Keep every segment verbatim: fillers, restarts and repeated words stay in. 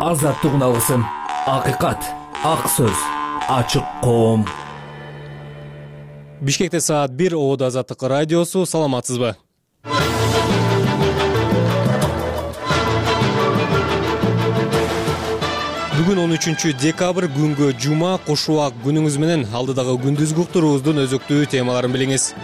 азаттык алгысым, акыйкат, ак сөз, ачык коом. Бишкекте саат бир, Ободо Азаттык радиосу. Саламатсызбы? Бүгүн он үчүнчү декабрь, күнгө жума. Куш убак күнүңүз менен алдыдагы күндүзгү уктуруубуздун өзөктүү темаларын билиңиз.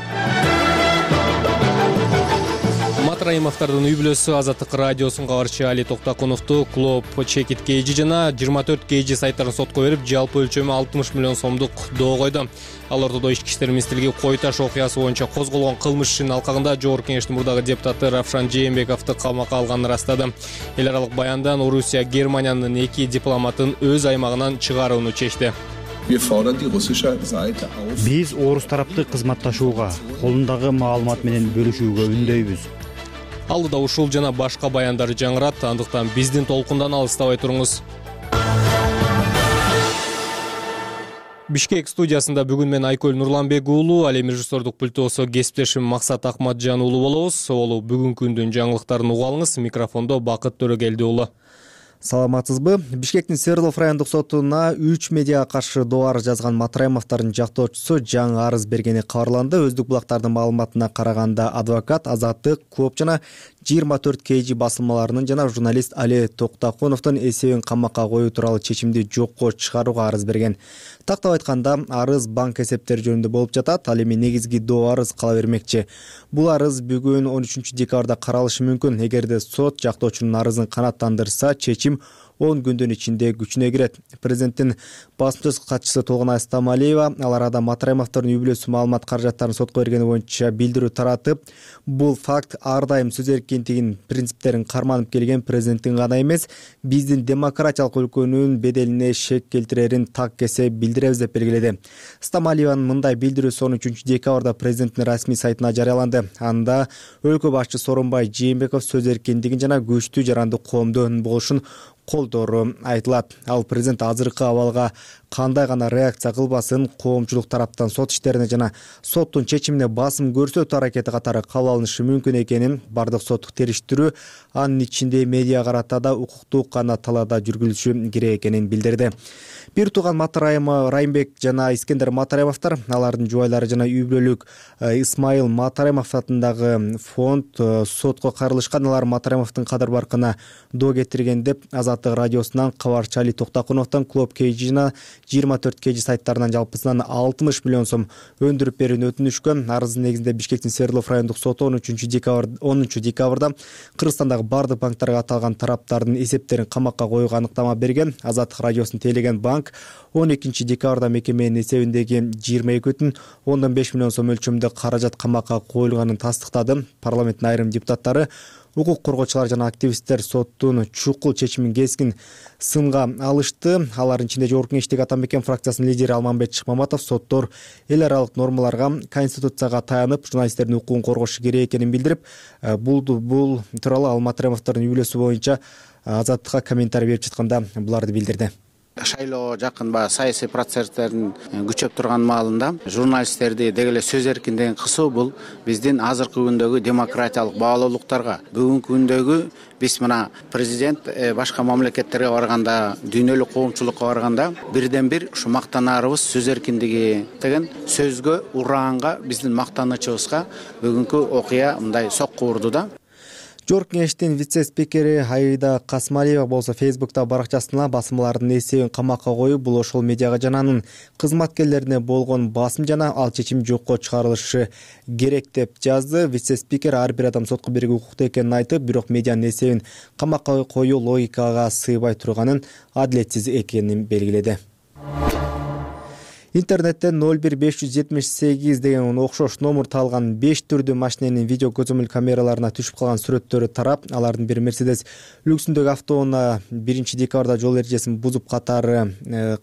Матраимовдордун үй бүлөсү Азаттык радиосунун кабарчы Али Токтакуновду клуб Чекит Кейжи жана жыйырма төрт Кейжи сайттарын сотко берип, жалпы өлчөмү алтымыш миллион сомдук доо койду. Ал ортодо Ички иштер министрлиги Кой Таш окуясы боюнча козголгон кылмыш ишинин алкагында Жогорку Кеңештин мурдагы депутаты Равшан Жээнбековду камакка алганын ырастады. Эл аралык баяндан Орусия Германиянын эки дипломатын өз аймагынан чыгарууну чечти. Биз орус тарапты кызматташууга, колундагы маалымат менен бөлүшүүгө үндөйбүз. Алдыда ушул жана башка баяндар жаңырат, андыктан биздин толкундан алыстабай туруңуз. Бишкек студиясында бүгүн мен Айкөл Нурланбек уулу, ал эми режиссердук пультосо кесиптешим Максат Акматжан уулу болобуз. Олу бүгүнкү күндүн жаңылыктарын уга алыңыз. Микрофондо Бакыт Төрөгелди уулу. Саламатсызбы? Бишкектин Свердлов райондук сотуна үч медиага каршы доо арыз жазган Матраимовдордун жактоочусу жаңы арыз бергени кабарланды. Өздүк булактардын маалыматына караганда адвокат Азаттык, Коп жана жыйырма төрт Кейжи басылмаларынын жана журналист Али Токтакуновдун эсебин камакка коюу тууралуу чечимди жокко чыгарууга арыз берген. Тактап айтканда, арыз банк эсептери жөнүндө болуп жатат. Ал эми негизги доо арыз кала бермекчи. Бул арыз бүгүн он үчүнчү декабрда каралышы мүмкүн. Эгерде сот жактоочунун арызын канааттандырса, чечим он күндүн ичинде күчүнө кирет. Президенттин басмачы катчысы Толгонай Стамалиева ал арада Матраимовдордун үй бүлөсү маалымат каражаттарын сотко бергени боюнча билдирүү таратып, бул факт ар дайым сөз эркиндигинин принциптерин карманып келген президенттин гана эмес, биздин демократиялык өлкөнүн беделине шек келтирерин так кесе билдиребиз деп белгиледи. Стамалиеванын мындай билдирүүсү он үчүнчү декабрда президенттин расмий сайтына жарыяланды. Анда өлкө башчысы Сооронбай Жээнбеков сөз эркиндигин жана күчтүү жарандык коомдун болушун колдоору айтылат. Ал президент азыркы абалга кандай гана реакция кылбасын, коомчулук тараптан сот иштерине жана соттун чечимине басым көрсөтүү аракети катары кабыл алынышы мүмкүн экенин, бардык соттук териштирүү анын ичинде медиа карата да укуктук кана талаада жүргүзүлүшү керек экенин билдирди. Бир тууган Матраимов Райымбек жана Искендер Матраимовдор, алардын жубайлары жана үй бүлөлүк Исмайыл Матраимов атындагы фонд сотко кайрылышкан. Алар Матраимовдун кадыр баркына доо кетирген деп Азаттык радиосунан кабарчы Али Токтакуновдон клуб Кейжи жана жыйырма төрт Кейжи сайттарынан жалпысынан алтымыш миллион сом өндүрүп берүүнү өтүнүшкөн. Арыздын негизинде Бишкектин Свердлов райондук соту он үчүнчү декабрда Кыргызстандагы бардык банктарга аталган тараптардын эсептерин камакка коюуга аныктама берген. Азаттык радиосун тейлеген банк он экинчи декабрда мекеменин эсебиндеги жыйырма эки бүтүн ондон беш миллион сом өлчөмүндө каражат камакка коюлганын тастыктады. Парламенттин айрым депутаттары, укук коргоочулар жана активисттер соттун чукул чечимин кескин сынга алышты. Алардын ичинде Жогорку Кеңештеги Атамекен фракциясынын лидери Алмамбет Шыкмаматов соттор эл аралык нормаларга, конституцияга таянып, журналисттердин укугун коргошу керек экенин билдирип, бул бул тууралуу ал Матраимовдордун үй бүлөсү боюнча Азаттыкка комментарий берип жатканда буларды билдирди. Шайлоо жакын баягы саясий процесстердин күчөп турган маалында журналисттерди деги эле сөз эркиндигин кысуу бул биздин азыркы күндөгү демократиялык баалуулуктарга, бүгүнкү күндөгү биз мына президент башка мамлекеттерге барганда, дүйнөлүк коомчулукка барганда бирден бир ушу мактанаарыбыз сөз эркиндиги деген сөзгө, ураанга, биздин мактанычыбызга бүгүнкү окуя мындай сокку урду да. Жогорку Кеңештин вице-спикери Аида Касмалиева болсо Фейсбукта баракчасына басмалардын эсебин камакка коюп, бул ошол медиага жана анын кызматкерлерине болгон басым жана ал чечим жокко чыгарылышы керек деп жазды. Вице-спикер ар бир адам сотко берүүгө укуктуу экенин айтып, бирок медианын эсебин камакка коюу логикага сыйбай турганын, адилетсиз экенин белгиледи. Интернеттен ноль бир беш жүз жетимиш сегиз деген окшош номер алган беш түрдүү машиненин видео көзөмөл камераларына түшүп калган сүрөттөрү тарап, алардын бири Мерседес люксүндөгү автоунаа биринчи декабрда жол эрежесин бузуп катары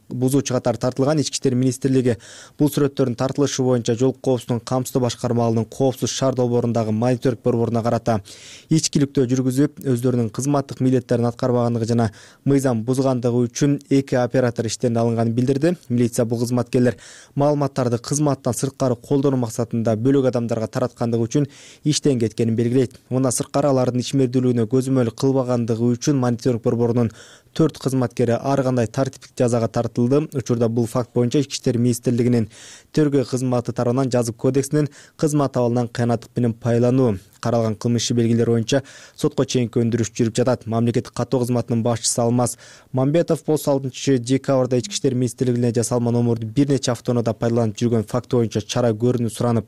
бузуучу катары тартылган. Ички иштер министрлиги бул сүрөттөрдүн тартылышы боюнча жол коопсуздугун камсыздоо башкармалыгынын коопсуз шаар долбоорундагы мониторинг борборуна карата ичкиликтөө жүргүзүп, өздөрүнүн кызматтык милдеттерин аткарбагандыгы жана мыйзам бузгандыгы үчүн эки оператор иштен алынганын билдирди. Милиция бул кызматкер кызматкерлер маалыматтарды кызматтан сырткары колдонуу максатында бөлөк адамдарга тараткандыгы үчүн иштен кеткенин белгилейт. Мындан сырткары алардын ичмердүүлүгүнө көзөмөл кылбагандыгы үчүн мониторинг борборунун төрт кызматкери ар кандай тартиптик жазага тартылды. Учурда бул факт боюнча Ички иштер министрлигинин тергөө кызматы тарабынан жазык кодексинин кызмат абалынан кыянаттык менен пайлануу каралган кылмыш иши белгилери боюнча сотко чейинки өндүрүш жүрүп жатат. Мамлекеттик каттоо кызматынын башчысы Алмаз Мамбетов болсо алтынчы декабрда Ички иштер министрлигине жасалма номурду бир нече автоунаада пайдаланып жүргөн факты боюнча чара көрүүнү суранып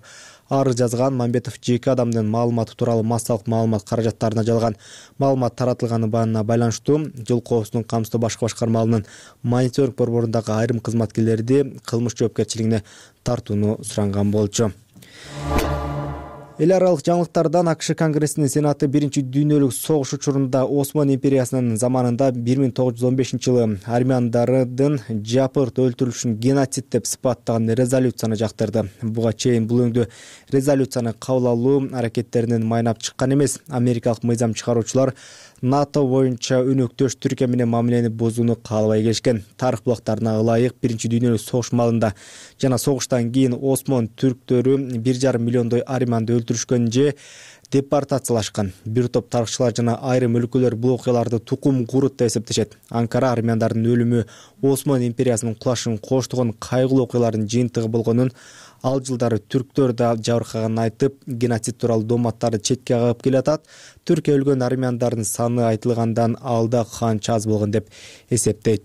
арыз жазган. Мамбетов жеке адамдын маалыматы тууралуу массалык маалымат каражаттарына жалган маалымат таратылганына байланыштуу жол коопсуздугун камсыздоо башкы башкармаларынын мониторинг борборундагы айрым кызматкерлерди кылмыш жоопкерчилигине тартууну суранган болчу. Эл аралык жаңылыктардан АКШ Конгрессинин Сенаты биринчи дүйнөлүк согуш учурунда Осман империясынын заманында бир миң тогуз жүз он бешинчи жылы армяндардын жапырт өлтүрүлүшүн геноцид деп сыпаттаган резолюцияны жактырды. Буга чейин бул өңдө резолюцияны кабыл алуу аракеттеринен майнап чыккан эмес. Америкалык мыйзам чыгаруучулар НАТО боюнча өнөктөш Түркия менен мамилени бузууну каалабай келишкен. Тарых булактарына ылайык биринчи дүйнөлүк согуш маалында жана согуштан кийин Осман түрктөрү бир жарым миллиондой армянды өлтүрүшкөн же депортациялашкан. Бир топ тарыхчылар жана айрым өлкөлөр бул окуяларды тукум курут деп эсептешет. Анкара армяндардын өлүмү Осман империясынын кулашын коштогон кайгылуу окуялардын жыйынтыгы болгонун, ал жылдары түрктөр да жабыркаганын айтып, геноцид тууралуу дооматтарды четке кагып келатат. Түркия өлгөн армяндардын саны айтылгандан алда канча аз болгон деп эсептейт.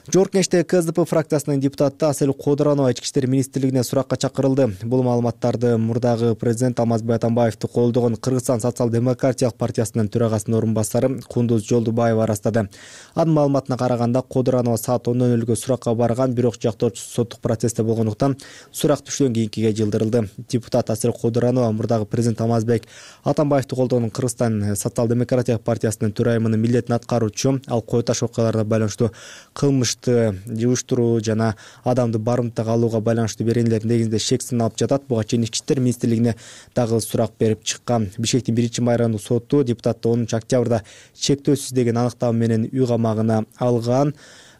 Жогорку Кеңештеги КСДП фракциясынын депутаты Асель Кодуранова Ички иштер министрлигине суракка чакырылды. Бул маалыматтарды мурдагы президент Алмазбек Атамбаевди колдогон Кыргызстан социал-демократиялык партиясынын төрагасынын орун басары Кундуз Жолдубаева арастады. Анын маалыматына караганда Кодуранова саат он нөл нөлгө суракка барган, бирок жактоочусу соттук процессте болгондуктан сурак түштөн кийинкиге жылдырылды. Депутат Асель Кодуранова мурдагы президент Алмазбек Атамбаевди колдогон Кыргызстан социал-демократиялык партиясынын төрайымынын милдетин аткаруучу. Ал Кой Таш окуяларына байланыштуу кылмыш уюштуруу жана адамды барымтага алууга байланыштуу беренелердин негизинде шексин алып жатат. Буга чейин Ички иштер министрлигине дагы сурак берип чыккан. Бишкектин биринчи майрамдык соту депутатты онунчу октябрда чектөөсүз деген аныктама менен үй камагына алган.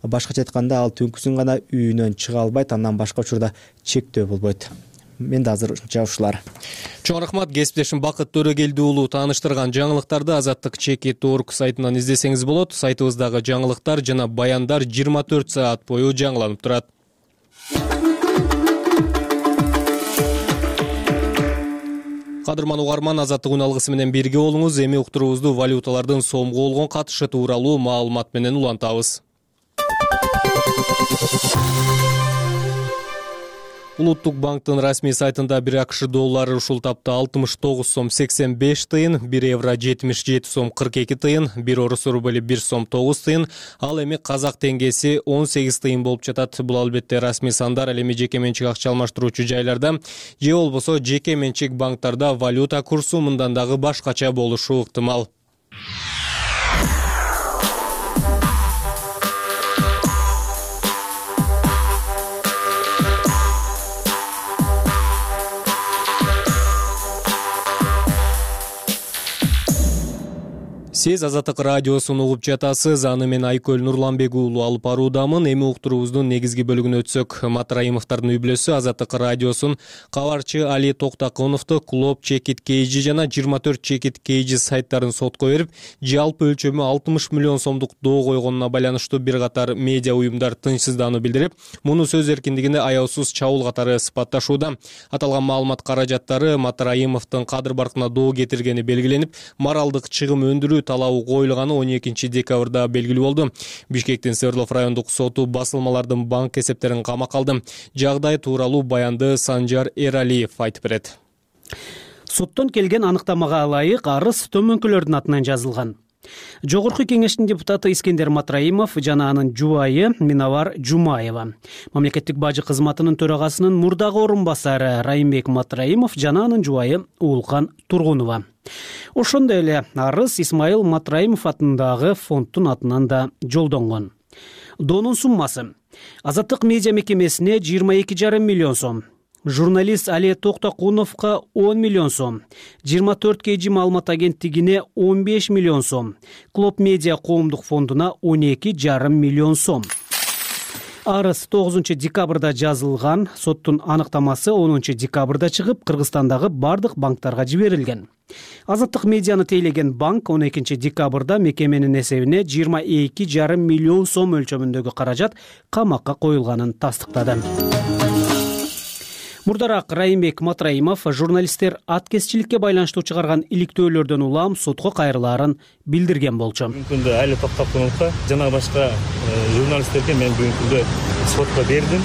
Башкача айтканда, ал түнкүсүн гана үйүнөн чыга албайт, андан башка учурда чектөө болбойт. Мен да азырынча ушулар. Чоң рахмат, кесиптешим Бакыт Төрөгелди уулу тааныштырган жаңылыктарды Азаттык чекит точка орг сайтынан издесеңиз болот. Сайтыбыздагы жаңылыктар жана баяндар жыйырма төрт саат бою жаңыланып турат. Кадырман угарман, Азаттык үн алгысы менен бирге болуңуз. Эми уктуруубузду валюталардын сомго болгон катышы тууралуу маалымат менен улантабыз. Улуттук банктын расмий сайтында бир АКШ доллары ушул тапта алтымыш тогуз сом сексен беш тыйын, бир евро жетимиш жети сом кырк эки тыйын, бир орус рубли бир сом тогуз тыйын, ал эми казак теңгеси он сегиз тыйын болуп жатат. Бул албетте расмий сандар, ал эми жеке менчик акча алмаштыруучу жайларда же болбосо жеке менчик банктарда валюта курсу мындан дагы башкача болушу ыктымал. Сиз Азаттык радиосун угуп жатасыз. Аны мен Айкөл Нурланбек уулу алып баруудамын. Эми уктуруубуздун негизги бөлүгүнө өтсөк, Матраимовдордун үй бүлөсү Азаттык радиосун кабарчы Али Токтакуновду Клоп Чекит Кейджи жана жыйырма төрт Чекит Кейджи сайттарын сотко берип, жалпы өлчөмү алтымыш миллион сомдук доо койгонуна байланыштуу бир катар медиа уюмдар тынчсыздануу билдирип, муну сөз эркиндигине аяусуз чабуул катары сыпатташууда. Аталган маалымат каражаттары Матраимовдун кадыр баркына доо кетиргени белгиленип, моралдык чыгым өндүрүү талабы коюлганы он экинчи декабрда белгилүү болду. Бишкектин Свердлов райондук соту басылмалардын банк эсептерин камакка алды. Жагдай тууралуу баянды Санжар Эралиев айтып берет. Соттон келген аныктамага ылайык арыз төмөнкүлөрдүн атынан жазылган. Жогорку кеңештин депутаты Искендер Матраимов жана анын жубайы Минавар Жумаева, мамлекеттик бажы кызматынын төрагасынын мурдагы орун басары Райымбек Матраимов жана анын жубайы Уулкан Тургунова. Ошондой эле арыз Исмаил Матраимов атындагы фонддун атынан да жолдонгон. Доонун суммасы Азаттык медиа мекемесине жыйырма эки жарым миллион сом, журналист Али Токтакуновго он миллион сом, жыйырма төрт Кейджи маалымат агенттигине он беш миллион сом, Клоп медиа коомдук фондуна он эки жарым миллион сом. Арыз тогузунчу декабрда жазылган, соттун аныктамасы онунчу декабрда чыгып, Кыргызстандагы бардык банктарга жиберилген. Азаттык медианы тейлеген банк он экинчи декабрда мекеменин эсебине жыйырма эки жарым миллион сом өлчөмүндөгү каражат камакка коюлганын тастыктады. Мурдараак Райымбек Матраимов журналисттер аткезчиликке байланыштуу чыгарган иликтөөлөрдөн улам сотко кайрылаарын билдирген болчу. Бүгүнкү күндө айыл токтоп конукта жана башка журналисттерге мен бүгүнкү күндө сотко бердим.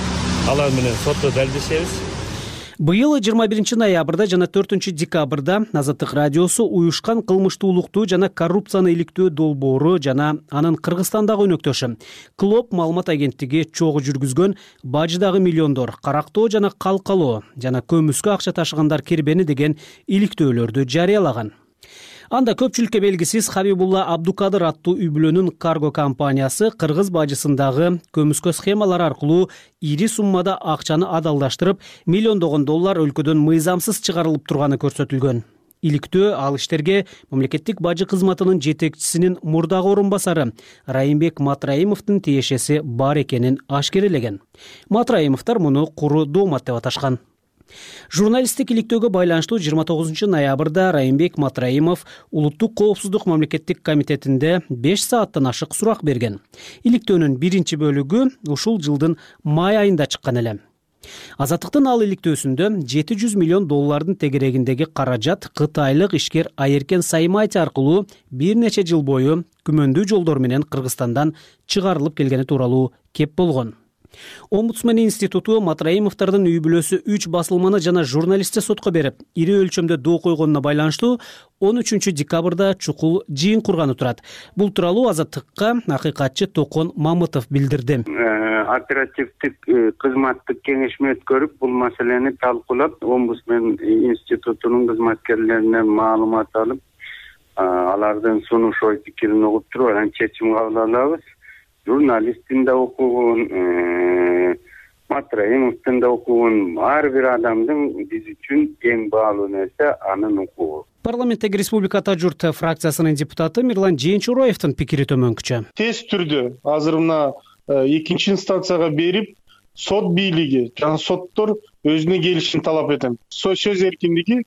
Алар менен сотто далилдешебиз. Быйыл жыйырма биринчи ноябрда жана төртүнчү декабрда Азаттык радиосу уюшкан кылмыштуулукту жана коррупцияны иликтөө долбоору жана анын Кыргызстандагы өнөктөшү Клоп маалымат агенттиги чогуу жүргүзгөн Бажыдагы миллиондор, Карактоо жана Калкалоо жана көмүскө акча ташыгандар кирбени деген иликтөөлөрдү жарыялаган. Анда көпчүлүккө белгисиз Хабибулла Абдукадыр аттуу үй-бүлөнүн карго компаниясы Кыргыз бажысындагы көмүскө схемалар аркылуу ири суммада акчаны адалдаштырып, миллиондогон доллар өлкөдөн мыйзамсыз чыгарылып турганы көрсөтүлгөн. Иликтөө ал иштерге мамлекеттик бажы кызматынын жетекчисинин мурдагы орун басары Райымбек Матраимовдун тиешеси бар экенин ашкерелеген. Матраимовдор муну куру доомат деп аташкан. Журналисттик иликтөөгө байланыштуу жыйырма тогузунчу ноябрда Райымбек Матраимов Улуттук коопсуздук мамлекеттик комитетинде беш сааттан ашык сурак берген. Иликтөөнүн биринчи бөлүгү ушул жылдын май айында чыккан эле. Азаттыктын ал иликтөөсүндө жети жүз миллион доллардын тегерегиндеги каражат кытайлык ишкер Айеркен Саймайти аркылуу бир нече жыл бою күмөндүү жолдор менен Кыргызстандан чыгарылып келгени тууралуу кеп болгон. Омбудсмен институту Матраимовдордун үй-бүлөсү үч басылманы жана журналистти сотко берип, ири өлчөмдө доо койгонуна байланыштуу он үчүнчү декабрда чукул жыйын курганы турат. Бул тууралуу Азаттыкка акыйкатчы Токон Мамытов билдирди. Оперативдик кызматтык кеңешме өткөрүп, бул маселени талкуулап, Омбудсмен институтунун кызматкерлеринен маалымат алып, алардын сунуш ой пикирин угуп туруп, анан чечим кабыл алабыз. Журналисттин да окугун, Матраимовдун да окугун, ар бир адамдын биз үчүн эң баалуу нерсе анын укугу. Парламенттеги Республика Журт фракциясынын депутаты Мирлан Жээнчуроевдун пикири төмөнкүчө. Тез түрдө азыр мына экинчи инстанцияга берип, сот бийлиги жана соттор өзүнө келишин талап этем. Сөз эркиндиги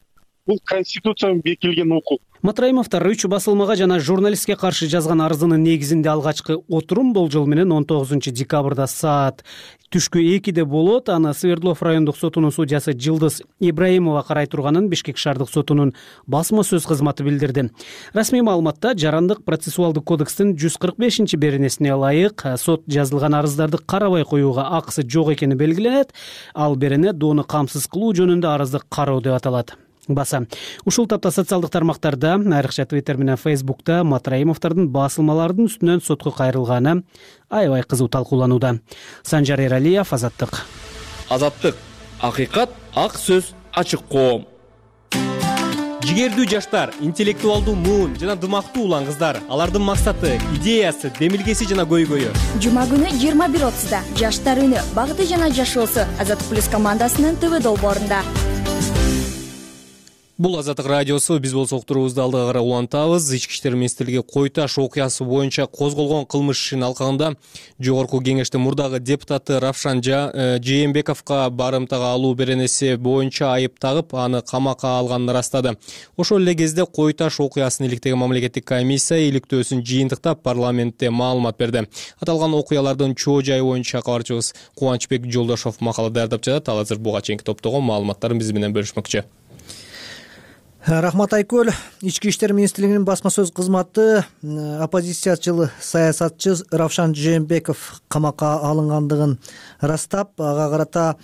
бул конституцияда бекитилген укук. Матраимовдор үч басылмага жана журналистке каршы жазган арызынын негизинде алгачкы отурум болжол менен он тогузунчу декабрда саат түшкү экиде болот. Аны Свердлов райондук сотунун судьясы Жылдыз Ибраимова карай турганын Бишкек шаардык сотунун басма сөз кызматы билдирди. Расмий маалыматта Жарандык процессуалдык кодекстин жүз кырк бешинчи беренесине ылайык сот жазылган арыздарды карабай коюуга акысы жок экени белгиленет. Ал берене доону камсыз кылуу жөнүндө арызды кароо деп аталат. Баса. Ушул тапта социалдык тармактарда, айрыкча Twitter менен Facebook'та Матраимовдордун басылмалардын үстүнөн сотко кайрылганы аябай кызуу талкууланууда. Санжар Эралиев, Азаттык. Азаттык. Акыйкат, ак сөз, ачык коом. Жигердүү жаштар, интеллектуалдуу муун жана дымактуу улан кыздар, алардын максаты, идеясы, демилгеси жана көйгөйү. Жума күнү жыйырма бир отузда жаштар үнү, багыты жана жашоосу Азаттык плюс командасынын ТВ долбоорунда. Бул Азаттык радиосу, биз болсок турубузду алдыга карай улантабыз. Ички иштер министрлиги Кой Таш окуясы боюнча козголгон кылмыш ишинин алкагында жогорку кеңештин мурдагы депутаты Равшан Жээнбековго барымтага алуу беренеси боюнча айып тагып, аны камакка алганын ырастады. Ошол эле кезде Кой Таш окуясын иликтеген мамлекеттик комиссия иликтөөсүн жыйынтыктап парламентте маалымат берди. Аталган окуялардын чоо жайы боюнча кабарчыбыз Кубанычбек Жолдошов макала даярдап жатат. Ал азыр буга чейинки топтогон маалыматтарын биз менен бөлүшмөкчү. Рахмат Айкөл. Ички иштер министрлигинин басма сөз кызматы оппозициячыл саясатчы Равшан Жээнбеков камакка алынгандыгын ырастап, ага карата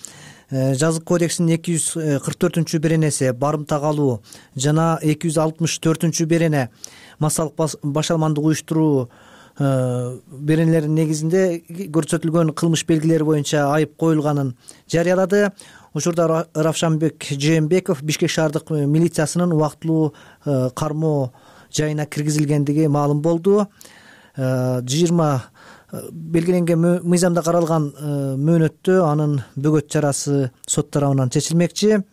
жазык кодексинин эки жүз кырк төртүнчү беренеси барымтага алуу жана эки жүз алтымыш төртүнчү берене массалык башалмандык уюштуруу беренелеринин негизинде көрсөтүлгөн кылмыш белгилери боюнча айып коюлганын жарыялады. Учурда Равшанбек Жээнбеков Бишкек шаардык милициясынын убактылуу кармоо жайына киргизилгендиги маалым болду. жыйырма белгиленген мыйзамда каралган мөөнөттө анын бөгөт чарасы сот тарабынан чечилмекчи.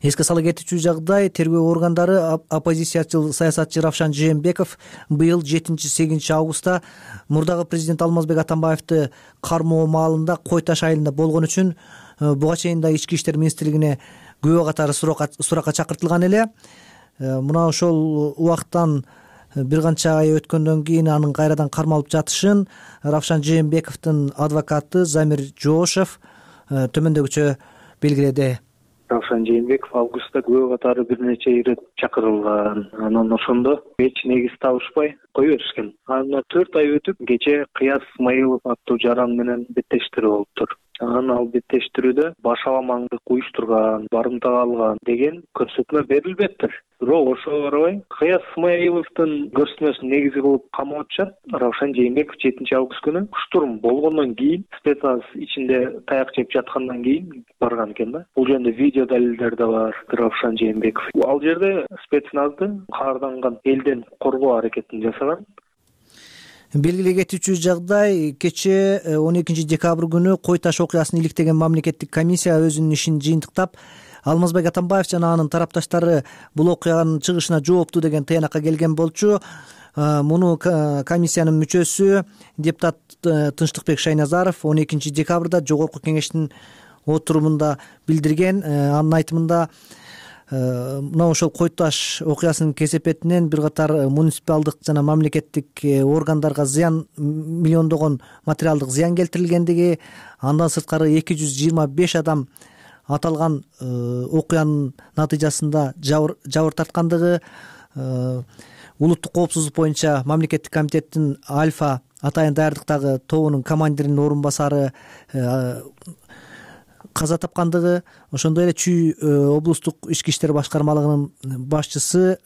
Эске сала кетүүчү жагдай, тергөө органдары оппозициячыл саясатчы Равшан Жээнбеков быйыл жетинчи сегизинчи августта мурдагы президент Алмазбек Атамбаевди кармоо маалында Кой Таш айылында болгон үчүн буга чейин да ички иштер министрлигине күбө катары суракка чакыртылган эле. Мына ошол убакыттан бир канча ай өткөндөн кийин анын кайрадан кармалып жатышын Равшан Жээнбековдун адвокаты Замир Жоошев төмөндөгүчө белгиледи. Равшан Жээнбеков августта күбө катары бир нече ирет чакырылган. Анан ошондо эч негиз табышпай кое беришкен. Андан төрт ай өтүп, кече Кыяз Исмаилов аттуу жаран менен беттештирүү болуптур. Анан ал беттештирүүдө башаламаңдык уюштурган, барымтага алган деген көрсөтмө берилбептир. Бирок ошого карабай Кыяз Исмаиловдун көрсөтмөсүн негиз кылып камап атышат. Равшан Жээнбеков жетинчи август күнү штурм болгондон кийин, спецназ ичинде таяк жеп жаткандан кийин барган экен да. Бул жөнүндө видео далилдер да бар. Равшан Жээнбеков ал жерде спецназды каарданган элден коргоо аракетин жасаган. Белгилей кетүүчү жагдай, кече он экинчи декабрь күнү Кой Таш окуясын иликтеген мамлекеттик комиссия өзүнүн ишин жыйынтыктап, Алмазбек Атамбаев жана анын тарапташтары бул окуянын чыгышына жооптуу деген тыянакка келген болчу. Муну комиссиянын мүчөсү депутат Тынчтыкбек Шайназаров он экинчи декабрда Жогорку Кеңештин отурумунда билдирген. Анын айтымында мына ошол Кой Таш окуясынын кесепетинен бир катар муниципалдык жана мамлекеттик органдарга зыян, миллиондогон материалдык зыян келтирилгендиги, андан сырткары эки жүз жыйырма беш адам аталган окуянын натыйжасында жабыр тарткандыгы, улуттук коопсуздук боюнча мамлекеттик комитеттин Альфа атайын даярдыктагы тобунун командиринин орун басары каза тапкандыгы, ошондой эле Чүй облустук ички иштер башкармалыгынын башчысы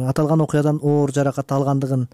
аталган окуядан оор жаракат алгандыгын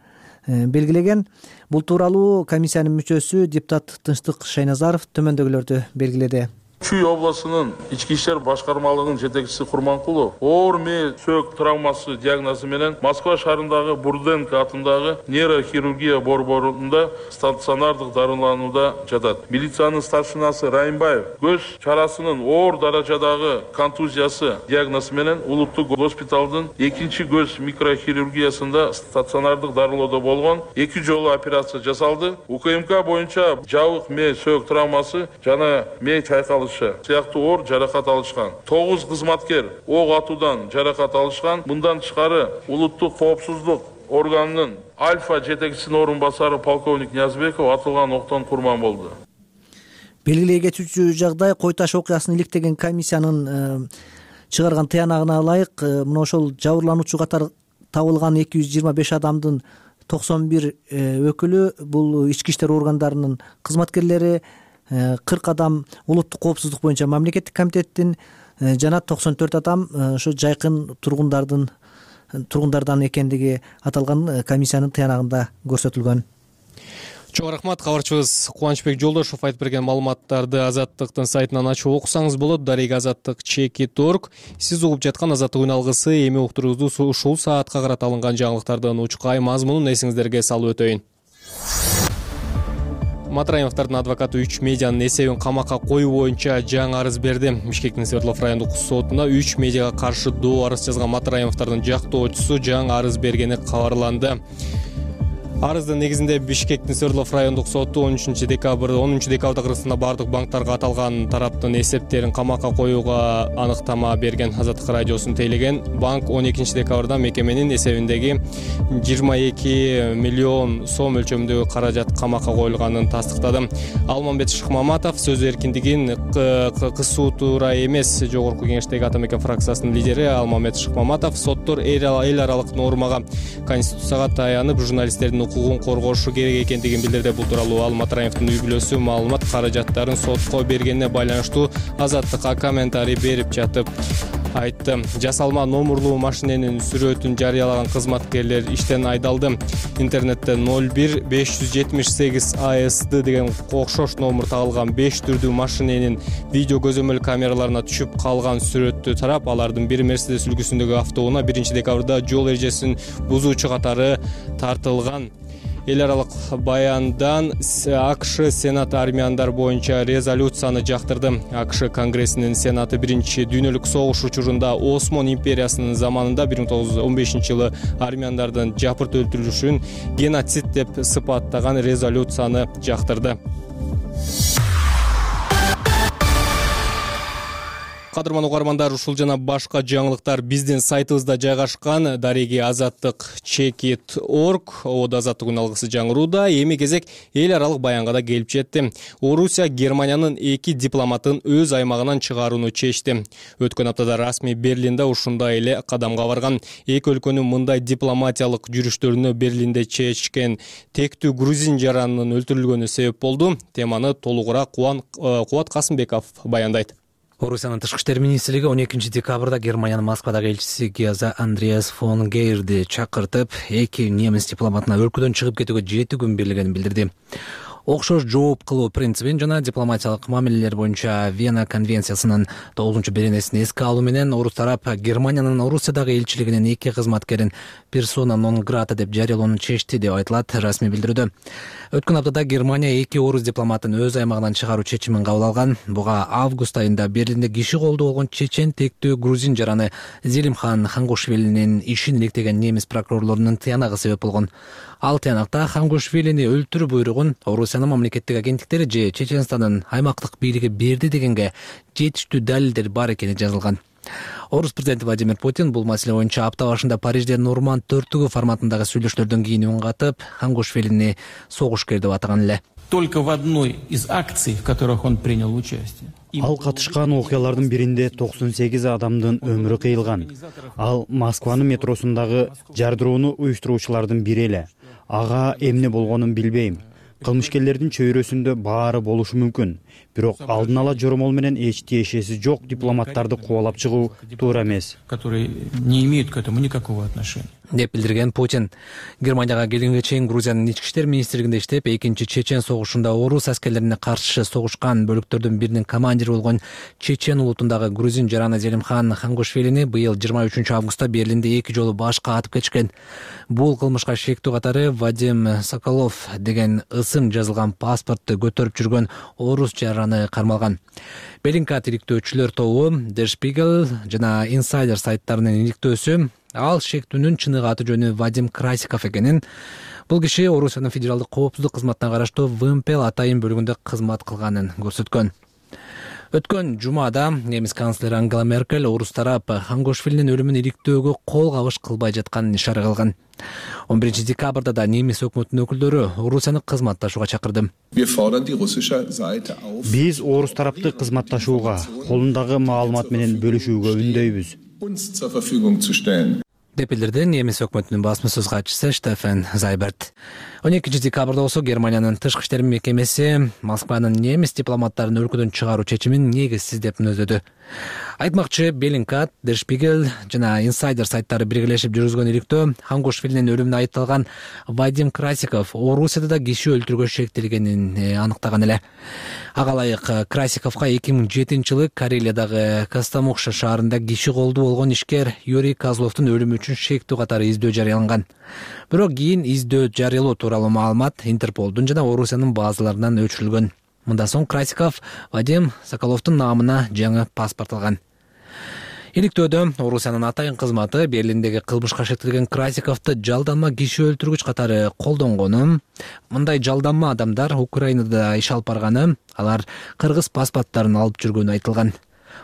белгилеген. Бул тууралуу комиссиянын мүчөсү депутат Тынчтык Шайназаров төмөндөгүлөрдү белгиледи. Чүй областынын ички иштер башкармалыгынын жетекчиси Курманкулов оор мээ сөөк травмасы диагнозу менен Москва шаарындагы Бурденко атындагы нейрохирургия борборунда стационардык дарыланууда жатат. Милициянын старшинасы Райымбаев көз чарасынын оор даражадагы контузиясы диагнозу менен улуттук госпиталдын экинчи көз микрохирургиясында стационардык дарылоодо болгон. Эки жолу операция жасалды. УКМК боюнча жабык мээ сөөк травмасы жана мээ чайкалышы сыяктуу оор жаракат алышкан. тогуз кызматкер ок атуудан жаракат алышкан. Мындан тышкары улуттук коопсуздук органынын Альфа жетекчисинин орун басары полковник Ниязбеков атылган октон курман болду. Белгилей кетүүчү жагдай, Кой Таш окуясын иликтеген комиссиянын чыгарган тыянагына ылайык, мына ошол жабырлануучу катары табылган эки жүз жыйырма беш адамдын токсон бир өкүлү бул ички иштер органдарынын кызматкерлери, кырк адам улуттук коопсуздук боюнча мамлекеттик комитеттин жана токсон төрт адам ошо жайкын тургундардын тургундардан экендиги аталган комиссиянын тыянагында көрсөтүлгөн. Чоң рахмат, кабарчыбыз Кубанычбек Жолдошов айтып берген маалыматтарды Азаттыктын сайтынан ачып окусаңыз болот. Дарек азаттык чекит точка орг. Сиз угуп жаткан Азаттык үн алгысы эми уктуруубузду ушул саатка карата алынган жаңылыктардын учкай мазмунун эсиңиздерге салып өтөйүн. Матраимовдордун адвокаты үч медианын эсебин камакка коюу боюнча жаңы арыз берди. Бишкектин Свердлов райондук сотуна үч медиага каршы доо арыз жазган Матраимовдордун жактоочусу жаңы арыз бергени кабарланды. Арыздын негизинде Бишкектин Свердлов райондук соту он үчүнчү декабрда онунчу декабрда Кыргызстанда бардык банктарга аталган тараптын эсептерин камакка коюуга аныктама берген. Азаттык радиосун тейлеген банк он экинчи декабрда мекеменин эсебиндеги жыйырма эки миллион сом өлчөмүндөгү каражат камакка коюлганын тастыктады. Алмамбет Шыкмаматов сөз эркиндигин кысуу туура эмес. Жогорку Кеңештеги ата мекен фракциясынын лидери Алмамбет Шыкмаматов соттор эл аралык нормага, конституцияга таянып журналисттердин укугун коргошу керек экендигин билдирди. Бул тууралуу ал Матраимовдун үй бүлөсү маалымат каражаттарын сотко бергенине байланыштуу Азаттыкка комментарий берип жатып айтты. Жасалма номурлуу машиненин сүрөтүн жарыялаган кызматкерлер иштен айдалды. Интернетте ноль бир беш жүз жетимиш сегиз А С Д деген окшош номер тагылган беш түрдүү машиненин видео көзөмөл камераларына түшүп калган сүрөттү тарап, алардын бир Мерседес үлгүсүндөгү автоунаа биринчи декабрда жол эрежесин бузуучу катары тартылган. эл аралык баяндан АКШ Сенаты армияндар боюнча резолюцияны жактырды. АКШ Конгрессинин Сенаты биринчи дүйнөлүк согуш учурунда Осман империясынын заманында бир миң тогуз жүз он бешинчи жылы армияндардын жапырт өлтүрүлүшүн геноцид деп сыпаттаган резолюцияны жактырды. Кадырман угармандар, ушул жана башка жаңылыктар биздин сайтыбызда жайгашкан. Дареги азаттык чекит точка орг Оодо азаттык үн алгысы жаңырууда. Эми кезек эл аралык баянга да келип жетти. Орусия Германиянын эки дипломатын өз аймагынан чыгарууну чечти. Өткөн аптада расмий Берлинде ушундай эле кадамга барган. Эки өлкөнүн мындай дипломатиялык жүрүштөрүнө Берлинде чечкен тектүү грузин жаранынын өлтүрүлгөнү себеп болду. Теманы толугураак Кубат Касымбеков баяндайт. Орусиянын тышкы иштер министрлиги он экинчи декабрда Германиянын Москвадагы элчиси Геза Андреас фон Гейерди чакыртып, эки немис дипломатына өлкөдөн чыгып кетүүгө жети күн берилгенин билдирди. Окшош жооп кылуу принцибин жана дипломатиялык мамилелер боюнча Вена конвенциясынын тогузунчу беренесин эске алуу менен орус тарап Германиянын Орусиядагы элчилигинин эки кызматкерин персона нон грата деп жарыялоону чечти деп айтылат расмий билдирүүдө. Өткөн аптада Германия эки орус дипломатын өз аймагынан чыгаруу чечимин кабыл алган. Буга август айында Берлинде киши колдуу болгон чечен тектүү грузин жараны Зелимхан Хангушвилинин ишин иликтеген немис прокурорлорунун тыянагы себеп болгон. Ал тыянакта Хангушвилини өлтүрүү буйругун Орусиянын мамлекеттик агенттиктери же Чеченстандын аймактык бийлиги берди дегенге жетиштүү далилдер бар экени жазылган. Орус президенти Владимир Путин бул маселе боюнча апта башында Парижде Норманд төртүгү форматындагы сүйлөшүүлөрдөн кийин үн катып, Хангушвилини согушкер деп атаган эле. Только в одной из акций, в которых он принял участие. Ал катышкан окуялардын биринде токсон сегиз адамдын өмүрү кыйылган. Ал Москванын метросундагы жардырууну уюштуруучулардын бири эле. Ага эмне болгонун билбейм. Кылмышкерлердин чөйрөсүндө баары болушу мүмкүн. Бирок алдын ала жоромол менен эч тиешеси жок дипломаттарды кубалап чыгуу туура эмес. Которые не имеют к этому никакого отношения. Деп билдирген Путин. Германияга келгенге чейин Грузиянын ички иштер министрлигинде иштеп, экинчи чечен согушунда орус аскерлерине каршы согушкан бөлүктөрдүн биринин командири болгон чечен улутундагы грузин жараны Зелимхан Хангушвилини быйыл жыйырма үчүнчү августта Берлинде эки жолу башка атып кетишкен. Бул кылмышка шектүү катары Вадим Соколов деген ысым жазылган паспортты көтөрүп жүргөн орус жараны кармалган. Беллинкат иликтөөчүлөр тобу Der Spiegel жана Insider сайттарынын иликтөөсү ал шектүүнүн чыныгы аты жөнү Вадим Красиков экенин, бул киши Орусиянын федералдык коопсуздук кызматына караштуу ВМП атайын бөлүгүндө кызмат кылганын көрсөткөн. Өткөн жумада немис канцлери Ангела Меркель орус тарап Хангушвилинин өлүмүн иликтөөгө кол кабыш кылбай жатканын ишара кылган. он биринчи декабрда да немис өкмөтүнүн өкүлдөрү Орусияны кызматташууга чакырды. Биз орус тарапты кызматташууга, колундагы маалымат менен бөлүшүүгө үндөйбүз. Деп билдирди немис өкмөтүнүн басма сөз катчысы Штефан Зайберт. он экинчи декабрда болсо Германиянын тышкы иштер мекемеси Москванын немис дипломаттарын өлкөдөн чыгаруу чечимин негизсиз деп мүнөздөдү. Айтмакчы, Беллинкат, Der Spiegel жана Insider сайттары биргелешип жүргүзгөн иликтөө Хангушвилинин өлүмүнө айыпталган Вадим Красиков Орусияда да киши өлтүрүүгө шектелгенин аныктаган эле. Ага ылайык Красиковго эки миң жетинчи жылы Карелиядагы Костомукша шаарында киши колдуу болгон ишкер Юрий Козловдун өлүмү үчүн шектүү катары издөө жарыяланган. Бирок кийин издөө жарыялоо тууралуу маалымат Интерполдун жана Орусиянын базаларынан өчүрүлгөн. Мындан соң Красиков Вадим Соколовдун наамына жаңы паспорт алган. Иликтөөдө Орусиянын атайын кызматы Берлиндеги кылмышка шектелген Красиковду жалданма киши өлтүргүч катары колдонгону, мындай жалданма адамдар Украинада иш алып барганы, алар кыргыз паспорттарын алып жүргөнү айтылган.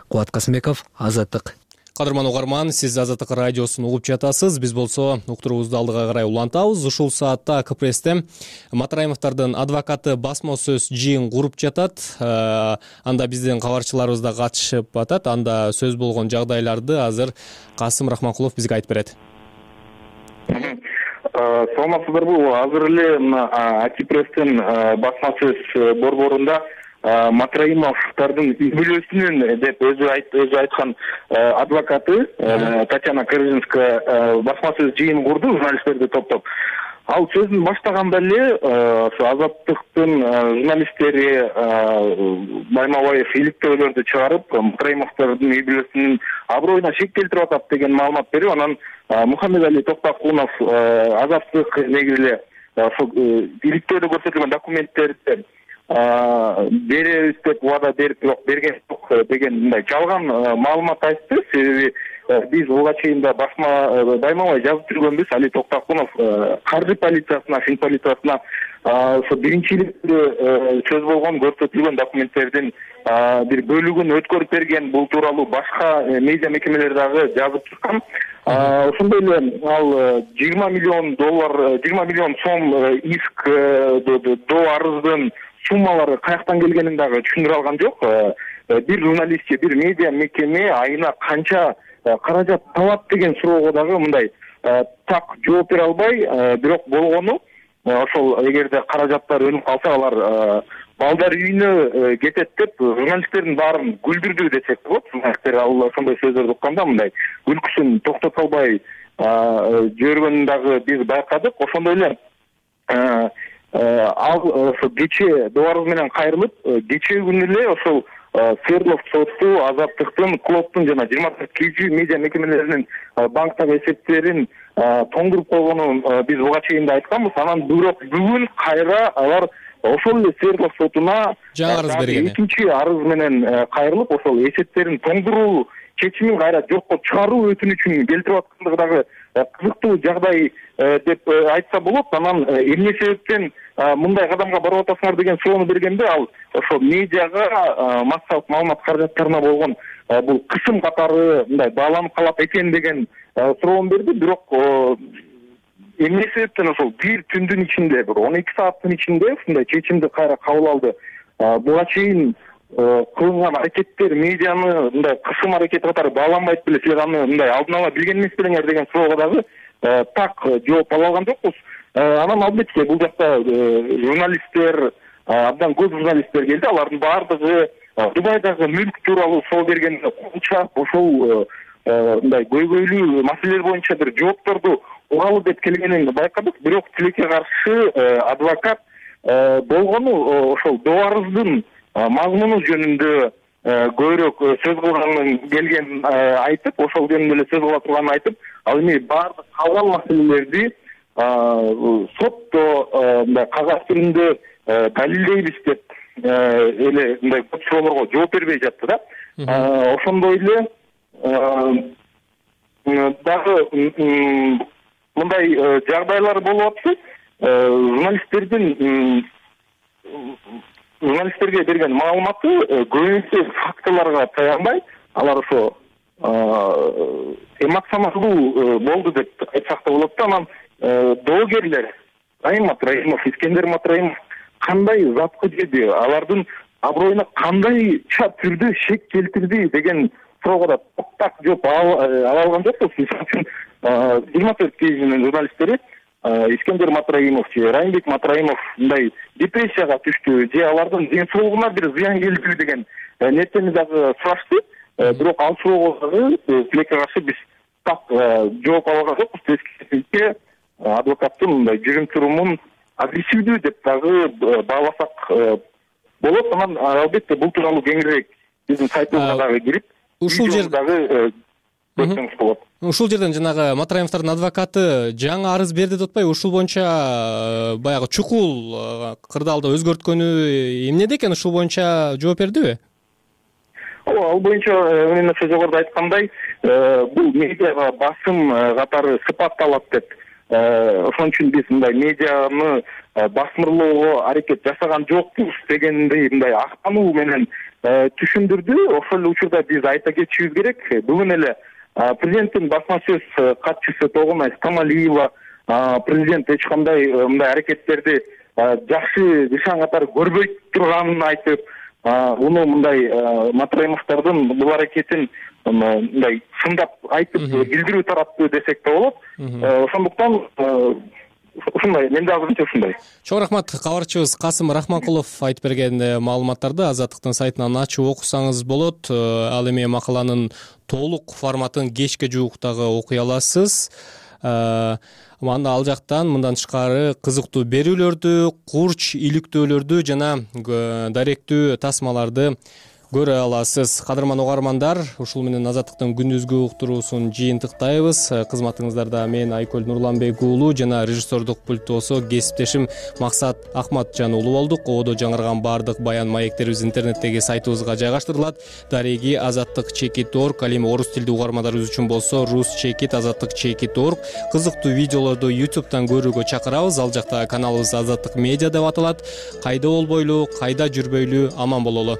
Кубат Касымбеков, Азаттык. Кадырман угарман, сиз Азаттык радиосун угуп жатасыз. Биз болсо уктуруубузду алдыга карай улантабыз. Ушул саатта КПССте Матраимовдордун адвокаты басма сөз жыйын куруп жатат. Анда биздин кабарчыларыбыз да катышып атат. Анда сөз болгон жагдайларды азыр Касым Рахманкулов бизге айтып берет. Саламатсыздарбы? Азыр эле АКПресстин басма сөз борборунда Матраимовдордун үй бүлөсүнүн деп өзү айткан адвокаты Татьяна Корзинская басма сөз жыйын курду, журналисттерди топтоп. Ал сөзүн баштаганда эле ошо Азаттыктын журналисттери Баймабаев иликтөөлөрдү чыгарып, Матраимовдордун үй бүлөсүнүн аброюна шек келтирип атат деген маалымат берип, анан Мухаммедали Токтокунов Азаттык негизи эле ошол иликтөөлө көрсөтүлгөн документтерди беребиз деп убада берип бирок берген жок деген мындай жалган маалымат айтты. Себеби биз буга чейин да басма даймабай жазып жүргөнбүз. Али Токтокунов каржы полициясына, фин полициясына ошо биринчи иликтөө сөз болгон көрсөтүлгөн документтердин бир бөлүгүн өткөрүп берген. Бул тууралуу башка медиа мекемелер дагы жазып чыккан. Ошондой эле ал жыйырма миллион доллар, жыйырма миллион сом иск до арыздын суммалары каяктан келгенин дагы түшүндүрө алган жок. Бир журналистче, бир медиа мекеме айына канча каражат табат деген суроого дагы мындай так жооп бере албай, бирок болгону ошол эгерде каражаттар өнүп калса алар балдар үйүнө кетет деп журналисттердин баарын күлдүрдү десек болот. Журналисттер ал ошондой сөздөрдү укканда мындай күлкүсүн токтото албай жибергөнүн дагы биз байкадык. Ошондой эле ал ошо кечээ добарыбыз менен кайрылып, кечээ күнү эле ошол Свердлов соту Азаттыктын, Клоптун жана жыйырма төрт кей жи медиа мекемелеринин банктагы эсептерин тоңдуруп койгонун биз буга чейин да айтканбыз. Анан бирок бүгүн кайра алар ошол эле Свердлов сотуна жаңы арыз берген. Экинчи арыз менен кайрылып, ошол эсептерин тоңдуруу чечимин кайра жокко чыгаруу өтүнүчүн келтирип аткандыгы дагы кызыктуу жагдай деп айтса болот. Анан эмне себептен мындай кадамга барып атасыңар деген суроону бергенде ал ошо медиага массалык маалымат каражаттарына болгон бул кысым катары мындай бааланып калат экен деген суроону берди. Бирок эмне себептен ошол бир түндүн ичинде, бир он эки сааттын ичинде ушундай чечимди кайра кабыл алды. Буга чейин кылынган аракеттер медианы мындай кысым аракети катары бааланбайт беле, силер аны мындай алдын ала билген эмес белеңер деген суроого дагы так жооп ала алган жокпуз. Анан албетте бул жакта журналисттер, абдан көп журналисттер келди. Алардын баардыгы Дубайдагы мүлк тууралуу соо бергенде кулчап ошол мындай көйгөйлүү маселелер боюнча бир жоопторду угалы деп келгенин байкадык. Бирок тилекке каршы адвокат болгону ошол добарыздын мазмуну жөнүндө көбүрөөк сөз кылганын келгенин айтып, ошол жөнүндө эле сөз кыла турганын айтып, ал эми баардык калган маселелерди сотто мындай кагаз түрүндө далилдейбиз деп эле мындай көп суроолорго жооп бербей жатты да. Ошондой эле дагы мындай жагдайлар болуп атты. Журналисттердин журналисттерге берген маалыматы көбүнчө фактыларга таянбай, алар ошо эмоционалдуу болду деп айтсак да болот да. Анан доогерлер Райым Матраимов, Искендер Матраимов кандай затка жеди, алардын аброюна кандайча түрдө шек келтирди деген суроого да так жооп ала алган жокпуз. Мисалы үчүн жыйырма төрт кей жинин журналисттери Искендер Матраимов же Райымбек Матраимов мындай депрессияга түштү же алардын ден соолугуна бир зыян келдиби деген нерсени дагы сурашты. Бирок ал суроого дагы тилекке каршы биз так жооп ала алган жокпуз. Тескерисинче адвокаттын мындай жүрүм турумун агрессивдүү деп дагы бааласак болот. Анан албетте бул тууралуу кеңирээк биздин сайтыбызга дагы кирип ушул жер дагы көрсөңүз болот. Ушул жерден жанагы Матраимовдордун адвокаты жаңы арыз берди деп атпайбы? Ушул боюнча баягы чукул кырдаалда өзгөрткөнү эмнеде экен? Ушул боюнча жооп бердиби? Ооба, ал боюнча мен жогоруда айткандай, бул медиага басым катары сыпатталат деп, ошон үчүн биз мындай медианы басмырлоого аракет жасаган жокпуз дегендей мындай актануу менен түшүндүрдү. Ошол эле учурда биз айта кетишибиз керек, бүгүн эле президенттин басма сөз катчысы Тогунай Стамалиева президент эч кандай мындай аракеттерди жакшы нышан катары көрбөй турганын айтып, уну мындай Матраимовдордун бул аракетин мындай сындап айтып билдирүү тараптуу десек да болот. Ошондуктан ушундай, менде азырынча ушундай. Чоң рахмат. Кабарчыбыз Касым Рахманкулов айтып берген маалыматтарды Азаттыктын сайтынан ачып окусаңыз болот. Ал эми макаланын толук форматын кечке жуук дагы окуй аласыз. Анда ал жактан мындан тышкары кызыктуу берүүлөрдү, курч иликтөөлөрдү жана даректүү тасмаларды көрө аласыз. Кадырман угармандар, ушул менен Азаттыктын күндүзгү уктуруусун жыйынтыктайбыз. Кызматыңыздарда мен Айкөл Нурланбек уулу жана режиссердук пульттосо кесиптешим Максат Акматжан уулу болдук. Ободо жаңырган баардык баян маектерибиз интернеттеги сайтыбызга жайгаштырылат. Дареги азаттык чекит точка орг, ал эми орус тилдүү угармандарыбыз үчүн болсо рус чекит азаттык чекит точка орг. Кызыктуу видеолорду ютубтан көрүүгө чакырабыз. Ал жакта каналыбыз Азаттык медиа деп аталат. Кайда болбойлу, кайда жүрбөйлү, аман бололу.